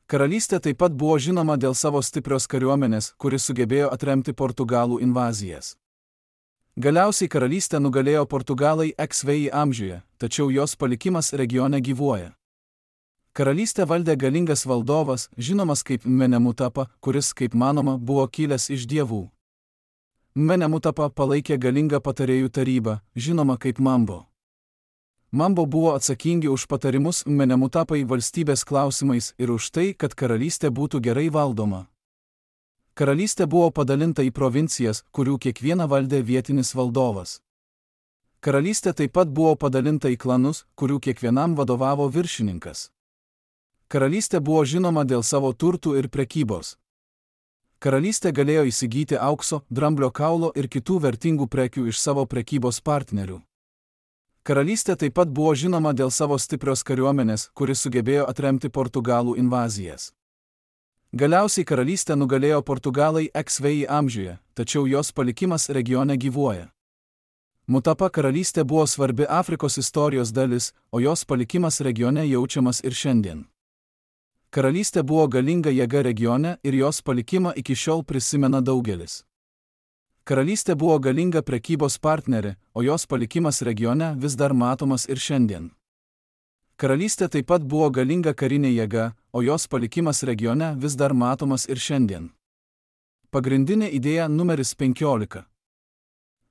Karalystė taip pat buvo žinoma dėl savo stiprios kariuomenės, kuri sugebėjo atremti Portugalų invazijas. Galiausiai karalystę nugalėjo Portugalai X V amžiuje, tačiau jos palikimas regione gyvuoja. Karalystę valdė galingas valdovas, žinomas kaip Mutapa, kuris, kaip manoma, buvo kilęs iš dievų. Mutapa palaikė galingą patarėjų tarybą, žinoma kaip Mambo. Mambo buvo atsakingi už patarimus Mutapai valstybės klausimais ir už tai, kad karalystė būtų gerai valdoma. Karalystė buvo padalinta į provincijas, kurių kiekvieną valdė vietinis valdovas. Karalystė taip pat buvo padalinta į klanus, kurių kiekvienam vadovavo viršininkas. Karalystė buvo žinoma dėl savo turtų ir prekybos. Karalystė galėjo įsigyti aukso, dramblio kaulo ir kitų vertingų prekių iš savo prekybos partnerių. Karalystė taip pat buvo žinoma dėl savo stiprios kariuomenės, kuri sugebėjo atremti Portugalų invazijas. Galiausiai karalystę nugalėjo Portugalai X V amžiuje, tačiau jos palikimas regione gyvuoja. Mutapa karalystė buvo svarbi Afrikos istorijos dalis, o jos palikimas regione jaučiamas ir šiandien. Karalystė buvo galinga jėga regione ir jos palikimą iki šiol prisimena daugelis. Karalystė buvo galinga prekybos partnerė, o jos palikimas regione vis dar matomas ir šiandien. Karalystė taip pat buvo galinga karinė jėga, o jos palikimas regione vis dar matomas ir šiandien. Pagrindinė idėja numeris penkiolika.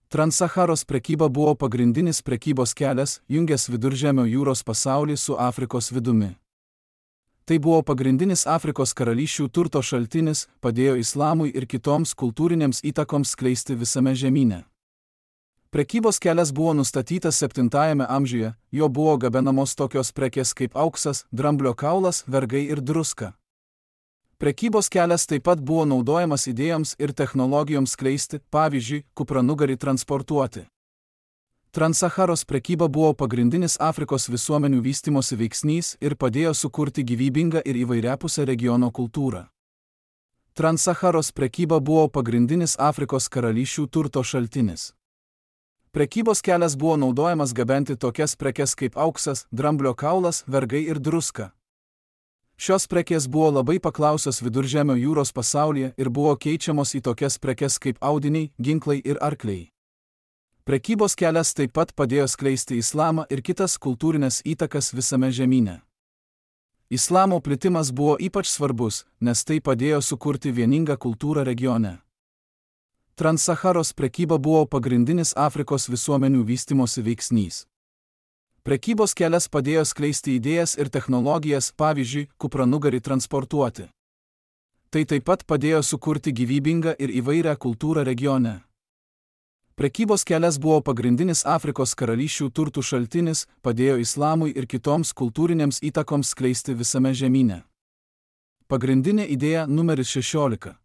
Transsaharos prekyba buvo pagrindinis prekybos kelias, jungęs Viduržemio jūros pasaulį su Afrikos vidumi. Tai buvo pagrindinis Afrikos karalysčių turto šaltinis, padėjo islamui ir kitoms kultūrinėms įtakoms skleisti visame žemyne. Prekybos kelias buvo nustatytas septintajame amžiuje, jo buvo gabenamos tokios prekės kaip auksas, dramblio kaulas, vergai ir druska. Prekybos kelias taip pat buvo naudojamas idėjoms ir technologijoms skleisti, pavyzdžiui, kupranugarį transportuoti. Transsaharos prekyba buvo pagrindinis Afrikos visuomenių vystimosi veiksnys ir padėjo sukurti gyvybingą ir įvairiapusę regiono kultūrą. Transsaharos prekyba buvo pagrindinis Afrikos karalysčių turto šaltinis. Prekybos kelias buvo naudojamas gabenti tokias prekes kaip auksas, dramblio kaulas, vergai ir druska. Šios prekės buvo labai paklausios Viduržemio jūros pasaulyje ir buvo keičiamos į tokias prekes kaip audiniai, ginklai ir arkliai. Prekybos kelias taip pat padėjo skleisti islamą ir kitas kultūrinės įtakas visame žemyne. Islamo plitimas buvo ypač svarbus, nes tai padėjo sukurti vieningą kultūrą regione. Transsaharos prekyba buvo pagrindinis Afrikos visuomenių vystimosi veiksnys. Prekybos kelias padėjo skleisti idėjas ir technologijas, pavyzdžiui, kupranugarį transportuoti. Tai taip pat padėjo sukurti gyvybingą ir įvairią kultūrą regione. Prekybos kelias buvo pagrindinis Afrikos karalysčių turtų šaltinis, padėjo islamui ir kitoms kultūrinėms įtakoms skleisti visame žemyne. Pagrindinė idėja numeris šešiolika.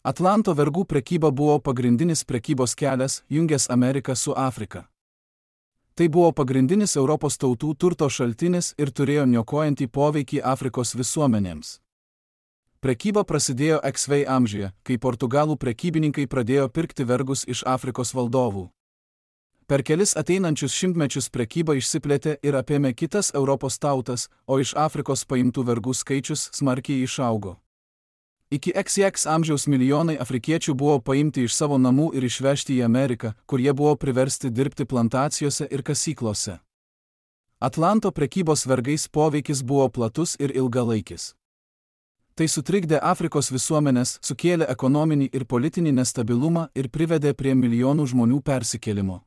Atlanto vergų prekyba buvo pagrindinis prekybos kelias, jungęs Ameriką su Afrika. Tai buvo pagrindinis Europos tautų turto šaltinis ir turėjo niokojantį poveikį Afrikos visuomenėms. Prekyba prasidėjo ankstyvai amžiuje, kai portugalų prekybininkai pradėjo pirkti vergus iš Afrikos valdovų. Per kelis ateinančius šimtmečius prekyba išsiplėtė ir apėmė kitas Europos tautas, o iš Afrikos paimtų vergų skaičius smarkiai išaugo. Iki X X amžiaus milijonai afrikiečių buvo paimti iš savo namų ir išvežti į Ameriką, kur jie buvo priversti dirbti plantacijose ir kasyklose. Atlanto prekybos vergais poveikis buvo platus ir ilgalaikis. Tai sutrikdė Afrikos visuomenės, sukėlė ekonominį ir politinį nestabilumą ir privedė prie milijonų žmonių persikėlimo.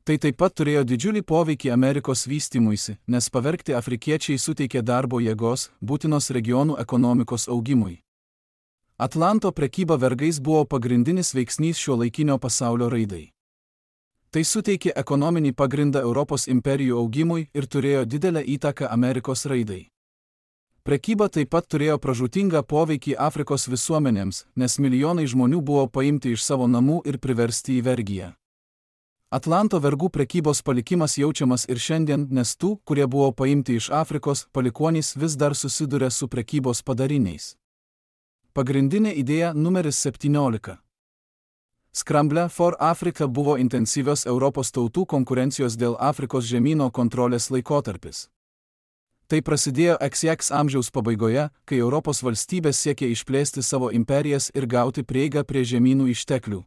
Tai taip pat turėjo didžiulį poveikį Amerikos vystymuisi, nes pavergti afrikiečiai suteikė darbo jėgos, būtinos regionų ekonomikos augimui. Atlanto prekyba vergais buvo pagrindinis veiksnys šiuolaikinio pasaulio raidai. Tai suteikė ekonominį pagrindą Europos imperijų augimui ir turėjo didelę įtaką Amerikos raidai. Prekyba taip pat turėjo pražūtingą poveikį Afrikos visuomenėms, nes milijonai žmonių buvo paimti iš savo namų ir priversti į vergiją. Atlanto vergų prekybos palikimas jaučiamas ir šiandien, nes tų, kurie buvo paimti iš Afrikos, palikuonys vis dar susiduria su prekybos padariniais. Pagrindinė idėja numeris septyniolika. Scramble for Africa buvo intensyvios Europos tautų konkurencijos dėl Afrikos žemyno kontrolės laikotarpis. Tai prasidėjo X X amžiaus pabaigoje, kai Europos valstybės siekė išplėsti savo imperijas ir gauti prieigą prie žemynų išteklių.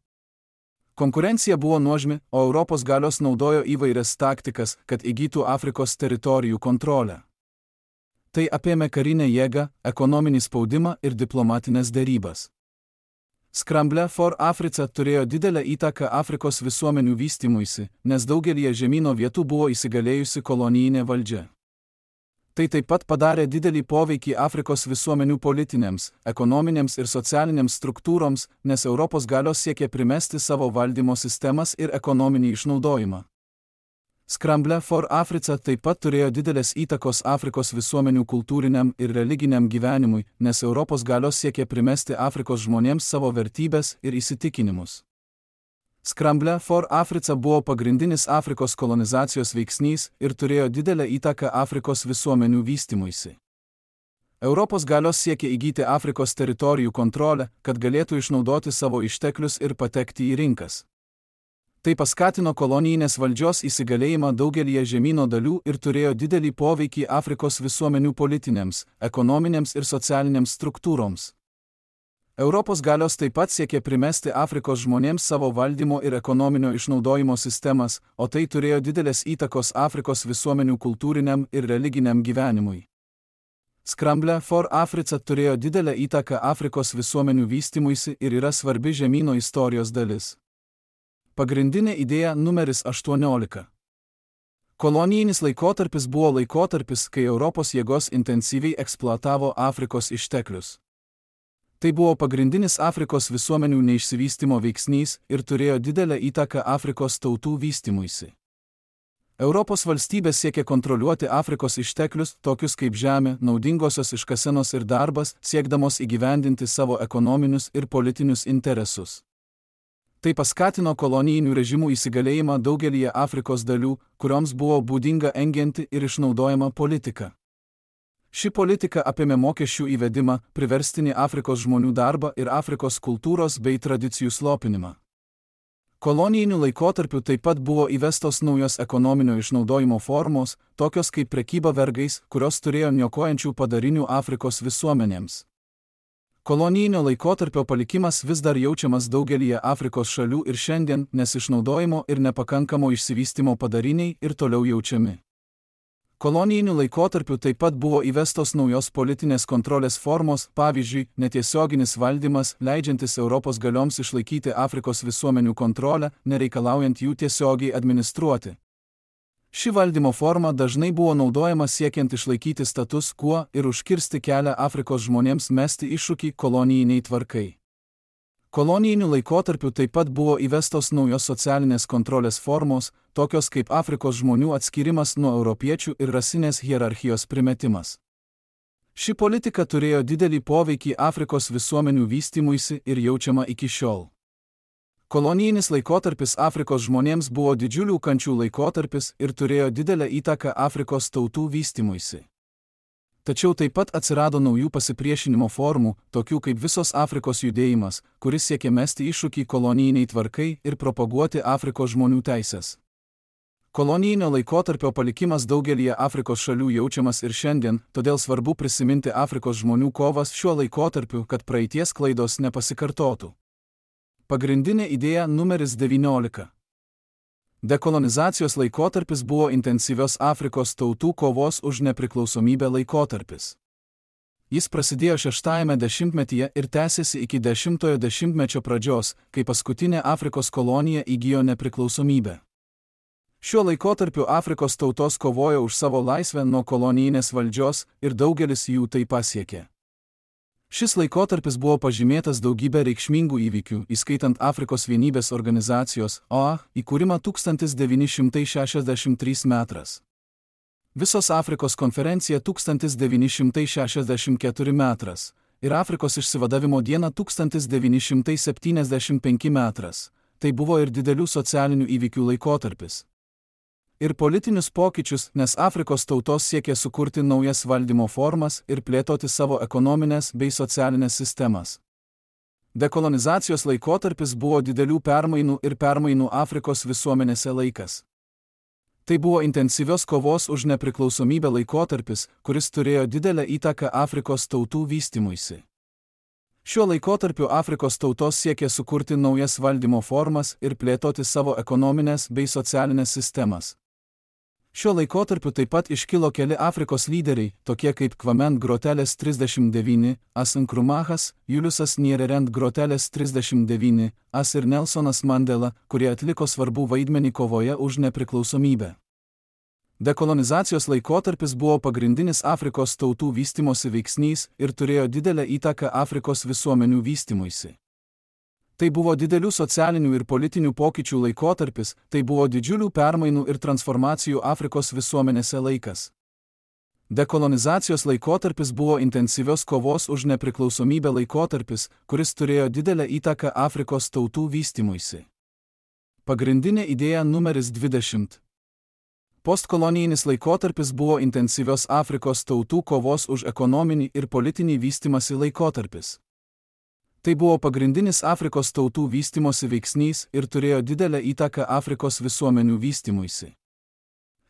Konkurencija buvo nuožmi, o Europos galios naudojo įvairias taktikas, kad įgytų Afrikos teritorijų kontrolę. Tai apėmė karinę jėgą, ekonominį spaudimą ir diplomatinės derybas. Scramble for Africa turėjo didelę įtaką Afrikos visuomenių vystymuisi, nes daugelyje žemyno vietų buvo įsigalėjusi kolonijinė valdžia. Tai taip pat padarė didelį poveikį Afrikos visuomenių politinėms, ekonominėms ir socialinėms struktūroms, nes Europos galios siekė primesti savo valdymo sistemas ir ekonominį išnaudojimą. Scramble for Africa taip pat turėjo didelės įtakos Afrikos visuomenių kultūriniam ir religiniam gyvenimui, nes Europos galios siekė primesti Afrikos žmonėms savo vertybės ir įsitikinimus. Scramble for Africa buvo pagrindinis Afrikos kolonizacijos veiksnys ir turėjo didelę įtaką Afrikos visuomenių vystymuisi. Europos galios siekė įgyti Afrikos teritorijų kontrolę, kad galėtų išnaudoti savo išteklius ir patekti į rinkas. Tai paskatino kolonijinės valdžios įsigalėjimą daugelyje žemyno dalių ir turėjo didelį poveikį Afrikos visuomenių politinėms, ekonominėms ir socialinėms struktūroms. Europos galios taip pat siekė primesti Afrikos žmonėms savo valdymo ir ekonominio išnaudojimo sistemas, o tai turėjo didelės įtakos Afrikos visuomenių kultūriniam ir religiniam gyvenimui. Scramble for Africa turėjo didelę įtaką Afrikos visuomenių vystymuisi ir yra svarbi žemyno istorijos dalis. Pagrindinė idėja numeris aštuoniolika. Kolonijinis laikotarpis buvo laikotarpis, kai Europos jėgos intensyviai eksploatavo Afrikos išteklius. Tai buvo pagrindinis Afrikos visuomenių neišsivystymo veiksnys ir turėjo didelę įtaką Afrikos tautų vystymuisi. Europos valstybės siekė kontroliuoti Afrikos išteklius, tokius kaip žemė, naudingosios iškasenos ir darbas, siekdamos įgyvendinti savo ekonominius ir politinius interesus. Tai paskatino kolonijinių režimų įsigalėjimą daugelyje Afrikos dalių, kurioms buvo būdinga engianti ir išnaudojama politika. Ši politika apėmė mokesčių įvedimą, priverstinį Afrikos žmonių darbą ir Afrikos kultūros bei tradicijų slopinimą. Kolonijiniu laikotarpiu taip pat buvo įvestos naujos ekonominio išnaudojimo formos, tokios kaip prekyba vergais, kurios turėjo niokojančių padarinių Afrikos visuomenėms. Kolonijinio laikotarpio palikimas vis dar jaučiamas daugelyje Afrikos šalių ir šiandien, nes išnaudojimo ir nepakankamo išsivystymo padariniai ir toliau jaučiami. Kolonijiniu laikotarpiu taip pat buvo įvestos naujos politinės kontrolės formos, pavyzdžiui, netiesioginis valdymas, leidžiantis Europos galioms išlaikyti Afrikos visuomenių kontrolę, nereikalaujant jų tiesiogiai administruoti. Ši valdymo forma dažnai buvo naudojama siekiant išlaikyti status quo ir užkirsti kelią Afrikos žmonėms mesti iššūkį kolonijiniai tvarkai. Kolonijiniu laikotarpiu taip pat buvo įvestos naujos socialinės kontrolės formos, tokios kaip Afrikos žmonių atskirimas nuo europiečių ir rasinės hierarchijos primetimas. Ši politika turėjo didelį poveikį Afrikos visuomenių vystymuisi ir jaučiama iki šiol. Kolonijinis laikotarpis Afrikos žmonėms buvo didžiulių kančių laikotarpis ir turėjo didelę įtaką Afrikos tautų vystymuisi. Tačiau taip pat atsirado naujų pasipriešinimo formų, tokių kaip visos Afrikos judėjimas, kuris siekė mesti iššūkį kolonijiniai tvarkai ir propaguoti Afrikos žmonių teisės. Kolonijinio laikotarpio palikimas daugelyje Afrikos šalių jaučiamas ir šiandien, todėl svarbu prisiminti Afrikos žmonių kovas šiuo laikotarpiu, kad praeities klaidos nepasikartotų. Pagrindinė idėja numeris devyniolika. Dekolonizacijos laikotarpis buvo intensyvios Afrikos tautų kovos už nepriklausomybę laikotarpis. Jis prasidėjo šeštajame dešimtmetyje ir tęsėsi iki dešimtojo dešimtmečio pradžios, kai paskutinė Afrikos kolonija įgijo nepriklausomybę. Šiuo laikotarpiu Afrikos tautos kovojo už savo laisvę nuo kolonijinės valdžios ir daugelis jų tai pasiekė. Šis laikotarpis buvo pažymėtas daugybę reikšmingų įvykių, įskaitant Afrikos vienybės organizacijos O A įkūrimą tūkstantis devyni šimtai šešiasdešimt trečiais metais. Visos Afrikos konferencija tūkstantis devyni šimtai šešiasdešimt ketvirtais metais ir Afrikos išsivadavimo diena tūkstantis devyni šimtai septyniasdešimt penktais metais. Tai buvo ir didelių socialinių įvykių laikotarpis. Ir politinius pokyčius, nes Afrikos tautos siekė sukurti naujas valdymo formas ir plėtoti savo ekonominės bei socialinės sistemas. Dekolonizacijos laikotarpis buvo didelių permainų ir permainų Afrikos visuomenėse laikas. Tai buvo intensyvios kovos už nepriklausomybę laikotarpis, kuris turėjo didelę įtaką Afrikos tautų vystymuisi. Šiuo laikotarpiu Afrikos tautos siekė sukurti naujas valdymo formas ir plėtoti savo ekonominės bei socialinės sistemas. Šiuo laikotarpiu taip pat iškilo keli Afrikos lyderiai, tokie kaip Kwame Nkrumah's trisdešimt devyni, As Nkrumahas, Juliusas Nyerere Nkrumah's trisdešimt devyni, As ir Nelsonas Mandela, kurie atliko svarbų vaidmenį kovoje už nepriklausomybę. Dekolonizacijos laikotarpis buvo pagrindinis Afrikos tautų vystymosi veiksnys ir turėjo didelę įtaką Afrikos visuomenių vystymuisi. Tai buvo didelių socialinių ir politinių pokyčių laikotarpis, tai buvo didžiulių permainų ir transformacijų Afrikos visuomenėse laikas. Dekolonizacijos laikotarpis buvo intensyvios kovos už nepriklausomybę laikotarpis, kuris turėjo didelę įtaką Afrikos tautų vystymuisi. Pagrindinė idėja numeris dvidešimt. Postkolonijinis laikotarpis buvo intensyvios Afrikos tautų kovos už ekonominį ir politinį vystymąsi laikotarpis. Tai buvo pagrindinis Afrikos tautų vystymosi veiksnys ir turėjo didelę įtaką Afrikos visuomenių vystymuisi.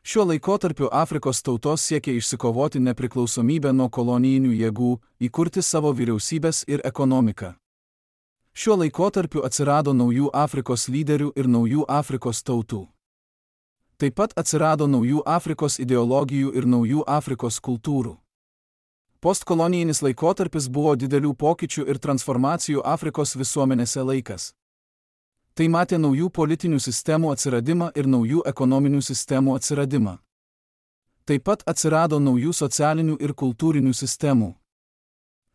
Šiuo laikotarpiu Afrikos tautos siekė išsikovoti nepriklausomybę nuo kolonijinių jėgų, įkurti savo vyriausybės ir ekonomiką. Šiuo laikotarpiu atsirado naujų Afrikos lyderių ir naujų Afrikos tautų. Taip pat atsirado naujų Afrikos ideologijų ir naujų Afrikos kultūrų. Postkolonijinis laikotarpis buvo didelių pokyčių ir transformacijų Afrikos visuomenėse laikas. Tai matė naujų politinių sistemų atsiradimą ir naujų ekonominių sistemų atsiradimą. Taip pat atsirado naujų socialinių ir kultūrinių sistemų.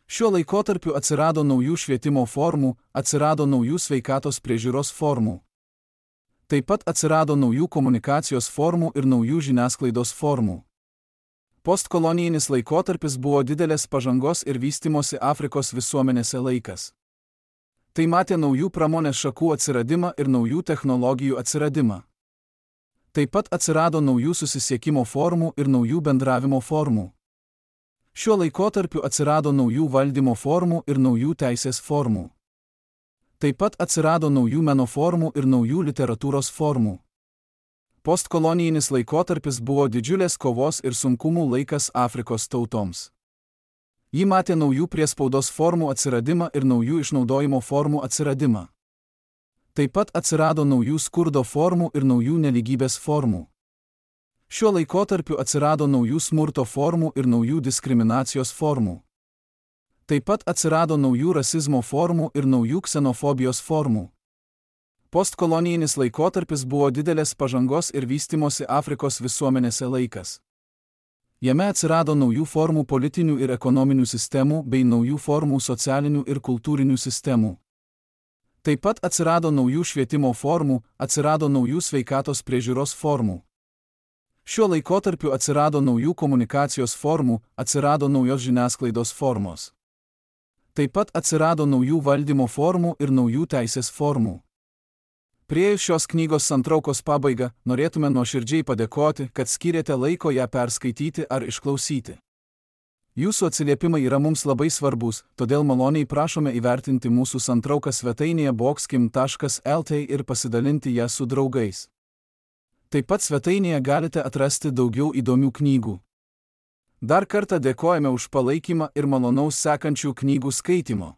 Šiuo laikotarpiu atsirado naujų švietimo formų, atsirado naujų sveikatos priežiūros formų. Taip pat atsirado naujų komunikacijos formų ir naujų žiniasklaidos formų. Postkolonijinis laikotarpis buvo didelės pažangos ir vystimosi Afrikos visuomenėse laikas. Tai matė naujų pramonės šakų atsiradimą ir naujų technologijų atsiradimą. Taip pat atsirado naujų susisiekimo formų ir naujų bendravimo formų. Šiuo laikotarpiu atsirado naujų valdymo formų ir naujų teisės formų. Taip pat atsirado naujų meno formų ir naujų literatūros formų. Postkolonijinis laikotarpis buvo didžiulės kovos ir sunkumų laikas Afrikos tautoms. Ji matė naujų priespaudos formų atsiradimą ir naujų išnaudojimo formų atsiradimą. Taip pat atsirado naujų skurdo formų ir naujų nelygybės formų. Šiuo laikotarpiu atsirado naujų smurto formų ir naujų diskriminacijos formų. Taip pat atsirado naujų rasizmo formų ir naujų ksenofobijos formų. Postkolonijinis laikotarpis buvo didelės pažangos ir vystimosi Afrikos visuomenėse laikas. Jame atsirado naujų formų politinių ir ekonominių sistemų bei naujų formų socialinių ir kultūrinių sistemų. Taip pat atsirado naujų švietimo formų, atsirado naujų sveikatos priežiūros formų. Šiuo laikotarpiu atsirado naujų komunikacijos formų, atsirado naujos žiniasklaidos formos. Taip pat atsirado naujų valdymo formų ir naujų teisės formų. Priėjus šios knygos santraukos pabaigą, norėtume nuoširdžiai padėkoti, kad skyrėte laiko ją perskaityti ar išklausyti. Jūsų atsiliepimai yra mums labai svarbus, todėl maloniai prašome įvertinti mūsų santrauką svetainėje boxkim taškas el t ir pasidalinti ją su draugais. Taip pat svetainėje galite atrasti daugiau įdomių knygų. Dar kartą dėkojame už palaikymą ir malonaus sekančių knygų skaitymo.